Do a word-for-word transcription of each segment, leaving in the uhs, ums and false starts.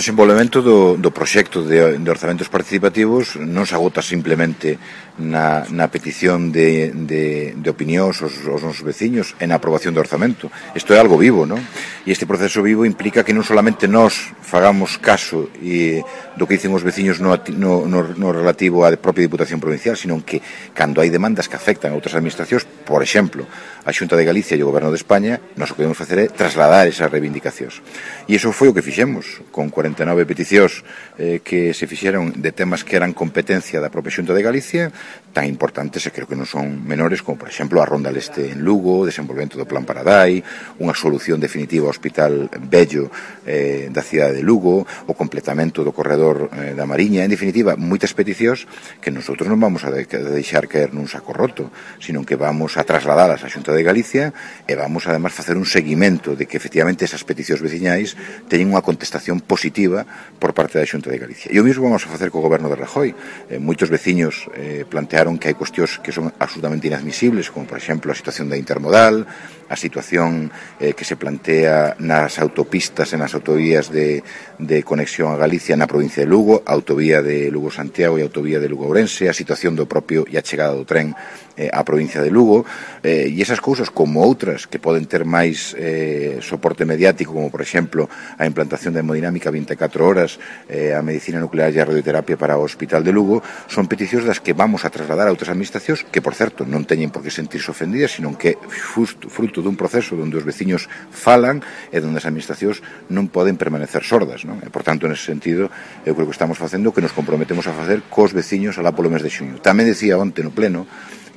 O desenvolvemento do, do proxecto de, de orzamentos participativos non se agota simplemente na, na petición de, de, de opinións aos, aos nosos veciños e na aprobación do orzamento. Isto é algo vivo, non? E este proceso vivo implica que non solamente nós fagamos caso e, do que dicen os veciños no, no, no, no relativo á propia Diputación Provincial, sino que cando hai demandas que afectan a outras administracións, por exemplo, a Xunta de Galicia e o Goberno de España, nós o que podemos facer é trasladar esas reivindicacións. E iso foi o que fixemos, con cuarenta e nove peticións eh, que se fixeron de temas que eran competencia da propia Xunta de Galicia, tan importantes e creo que non son menores, como por exemplo a Ronda Leste en Lugo, o desenvolvemento do Plan Paradai, unha solución definitiva ao Hospital Vello eh, da cidade de Lugo, o completamento do corredor eh, da Mariña, en definitiva, moitas peticións que nosotros non vamos a, de, a deixar caer nun saco roto, sino que vamos a trasladalas á Xunta de Galicia e vamos además facer un seguimento de que efectivamente esas peticións veciñais teñen unha contestación positiva por parte da Xunta de Galicia. E o mesmo vamos a facer co Goberno de Rajoy. Eh, moitos veciños eh, plantearon que hai cuestións que son absolutamente inadmisibles, como por exemplo a situación da intermodal, a situación eh, que se plantea nas autopistas e nas autovías de, de conexión a Galicia na provincia de Lugo, a autovía de Lugo-Santiago e a autovía de Lugo-Ourense, a situación do propio e a chegada do tren eh, á provincia de Lugo, eh, e esas cousas como outras que poden ter máis eh, soporte mediático, como por exemplo a implantación da hemodinámica vinte e catro horas, eh, a medicina nuclear e a radioterapia para o Hospital de Lugo, son peticións das que vamos a trasladar a outras administracións que, por certo, non teñen por que sentirse ofendidas, sino que fruto, fruto dun proceso onde os veciños falan e onde as administracións non poden permanecer sordas, non? E, por tanto, nese sentido, eu creo que estamos facendo o que nos comprometemos a facer cos veciños alá polo mes de xuño. Tamén decía onte no pleno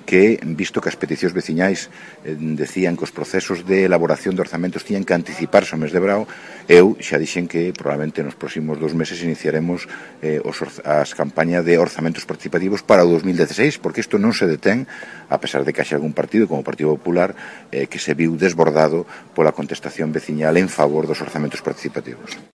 que, visto que as peticións veciñais eh, decían que os procesos de elaboración de orzamentos tiñan que anticiparse ao mes de brao, eu xa dixen que probablemente nos próximos dos meses iniciaremos eh, os, as campañas de orzamentos participativos para o dos mil dieciséis, porque isto non se detén, a pesar de que haxe algún partido, como o Partido Popular, eh, que se viu desbordado pola contestación veciñal en favor dos orzamentos participativos.